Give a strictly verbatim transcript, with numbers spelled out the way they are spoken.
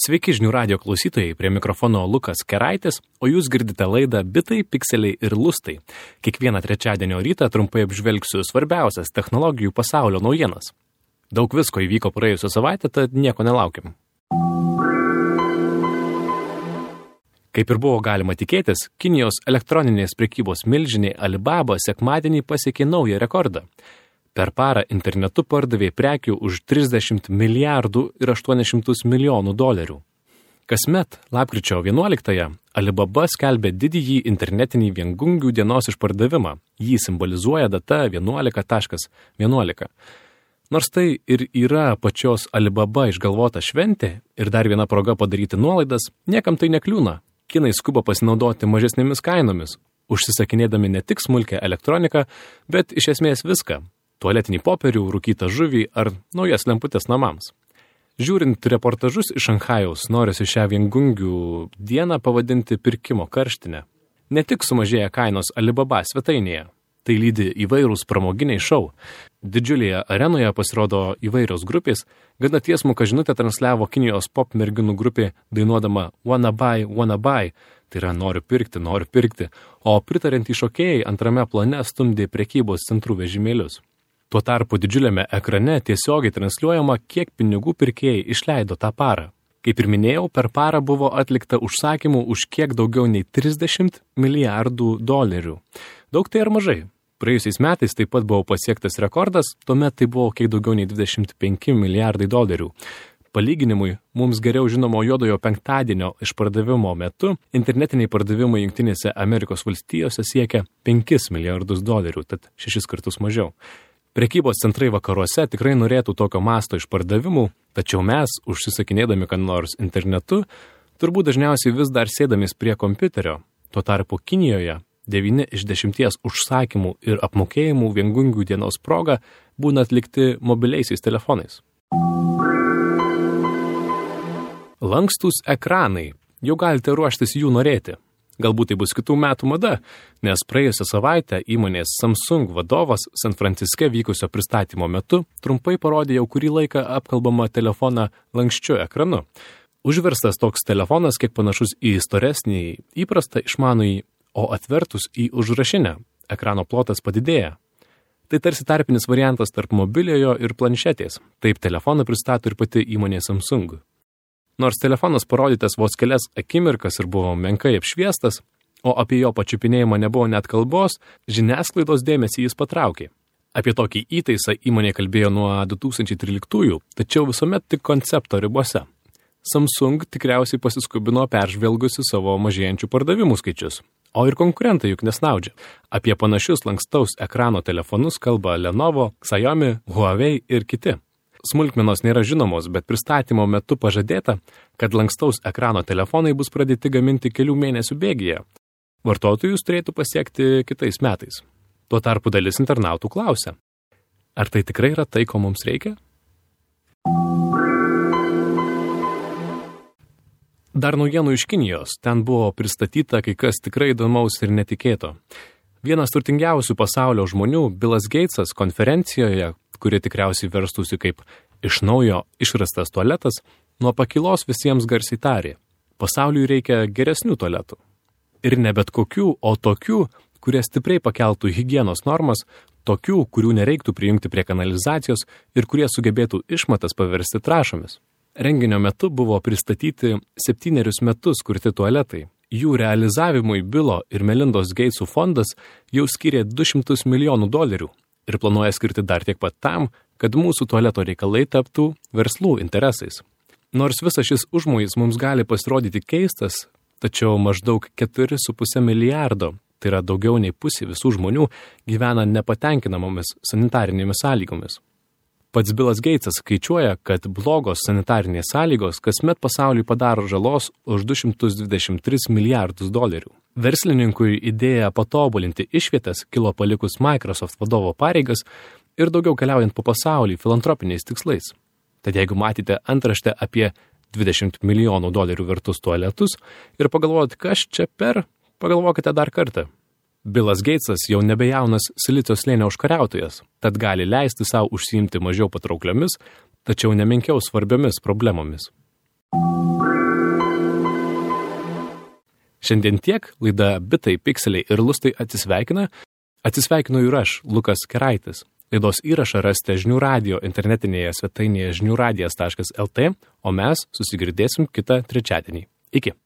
Sveiki žinių radijo klausytojai, prie mikrofono Lukas Keraitis, o jūs girdite laidą Bitai, pikseliai ir lustai. Kiekvieną trečiadienio rytą trumpai apžvelgsiu svarbiausias technologijų pasaulio naujienas. Daug visko įvyko praėjusią savaitę, tad nieko nelaukim. Kaip ir buvo galima tikėtis, Kinijos elektroninės prekybos milžinė Alibaba sekmadienį pasiekė naują rekordą. Per parą internetu pardavė prekių už trisdešimt milijardų ir aštuonis šimtus milijonų dolerių. Kasmet, lapkričio vienuoliktąją, Alibaba skelbia didįjį internetinį viengungių dienos išpardavimą. Jį simbolizuoja data vienuolika vienuolika. Nors tai ir yra pačios Alibaba išgalvota šventė ir dar viena proga padaryti nuolaidas, niekam tai nekliūna. Kinai skuba pasinaudoti mažesnėmis kainomis, užsisakinėdami ne tik smulkę elektroniką, bet iš esmės viską. Tualetinį popierių, rūkytą žuvį ar naujas lemputės namams. Žiūrint reportažus iš Šanchajaus, norisi šią viengungių dieną pavadinti pirkimo karštinę. Ne tik sumažėja kainos Alibaba svetainėje, tai lydi įvairūs pramoginiai šou. Didžiulėje arenoje pasirodo įvairios grupės, gana tiesmuką žinutę transliavo Kinijos pop merginų grupė dainuodama Wanna Buy, Wanna Buy, tai yra noriu pirkti, noriu pirkti, o pritariantys šokėjai antrame plane stumdė prekybos centrų vežimėlius. Tuo tarpu didžiuliame ekrane tiesiogiai transliuojama, kiek pinigų pirkėjai išleido tą parą. Kaip ir minėjau, per parą buvo atlikta užsakymų už kiek daugiau nei trisdešimt milijardų dolerių. Daug tai ar mažai? Praėjusiais metais taip pat buvo pasiektas rekordas, tuomet tai buvo kiek daugiau nei dvidešimt penki milijardai dolerių. Palyginimui, mums geriau žinomo juodojo penktadienio išpardavimo metu internetiniai pardavimai Jungtinėse Amerikos valstijose siekia penkis milijardus dolerių, tad šešis kartus mažiau. Prekybos centrai vakaruose tikrai norėtų tokio masto išpardavimų, tačiau mes, užsisakinėdami ką nors internetu, turbūt dažniausiai vis dar sėdamės prie kompiuterio. Tuo tarpu Kinijoje devyni iš dešimties užsakymų ir apmokėjimų viengungių dienos proga būna atlikti mobiliaisiais telefonais. Lankstūs ekranai. Jau galite ruoštis jų norėti. Galbūt tai bus kitų metų mada, nes praėjusią savaitę įmonės Samsung vadovas San Franciske vykusio pristatymo metu trumpai parodė jau kurį laiką apkalbamą telefoną lanksčiu ekranu. Užverstas toks telefonas kiek panašus į storesnį įprastą išmanųjį, o atvertus į užrašinę, ekrano plotas padidėja. Tai tarsi tarpinis variantas tarp mobiliojo ir planšetės. Taip telefoną pristato ir pati įmonė Samsung. Nors telefonas parodytas vos kelias akimirkas ir buvo menkai apšviestas, o apie jo pačiupinėjimą nebuvo net kalbos, žiniasklaidos dėmesį jis patraukė. Apie tokį įtaisą įmonė kalbėjo nuo du tūkstančiai tryliktųjų, tačiau visuomet tik koncepto ribose. Samsung tikriausiai pasiskubino peržvelgusi savo mažėjančių pardavimų skaičius. O ir konkurentai juk nesnaudžia. Apie panašius lankstaus ekrano telefonus kalba Lenovo, Xiaomi, Huawei ir kiti. Smulkmenos nėra žinomos, bet pristatymo metu pažadėta, kad lankstaus ekrano telefonai bus pradėti gaminti kelių mėnesių bėgyje. Vartotojus turėtų pasiekti kitais metais. Tuo tarpu dalis internautų klausia, ar tai tikrai yra tai, ko mums reikia? Dar naujienų iš Kinijos. Ten buvo pristatyta kai kas tikrai įdomaus ir netikėto. Vienas turtingiausių pasaulio žmonių, Bilas Geitsas, konferencijoje, kuri tikriausiai verstųsi kaip iš naujo išrastas tualetas, nuo pakilos visiems garsiai tarė. Pasauliui reikia geresnių tualetų. Ir ne bet kokių, o tokių, kurie stipriai pakeltų higienos normas, tokių, kurių nereiktų prijungti prie kanalizacijos ir kurie sugebėtų išmatas paversti trąšomis. Renginio metu buvo pristatyti septynerius metus kurti tualetai. Jų realizavimui Bilo ir Melindos Geitsų fondas jau skyrė du šimtus milijonų dolerių ir planuoja skirti dar tiek pat tam, kad mūsų tualeto reikalai taptų verslų interesais. Nors visas šis užmojis mums gali pasirodyti keistas, tačiau maždaug keturi su puse milijardo, tai yra daugiau nei pusė visų žmonių, gyvena nepatenkinamomis sanitarinėmis sąlygomis. Pats Bilas Geitsas skaičiuoja, kad blogos sanitarinės sąlygos kasmet pasauliui padaro žalos už du šimtus dvidešimt tris milijardus dolerių. Verslininkui idėja patobulinti išvietas kilo palikus Microsoft vadovo pareigas ir daugiau keliaujant po pasaulį filantropiniais tikslais. Tad jeigu matėte antraštę apie dvidešimt milijonų dolerių vertus tualetus ir pagalvojot, kas čia per, pagalvokite dar kartą. Bilas Geitsas jau nebejaunas Silicio slėnio užkariautojas, tad gali leisti savo užsiimti mažiau patraukliomis, tačiau nemenkiau svarbiomis problemomis. Šiandien tiek, laida Bitai, Pikseliai ir Lustai atsisveikina. Atsisveikinu ir aš, Lukas Keraitis. Laidos įrašą rasite Žinių radijo internetinėje svetainėje žinių radijas taškas el tė, o mes susigirdėsim kitą trečiadienį. Iki.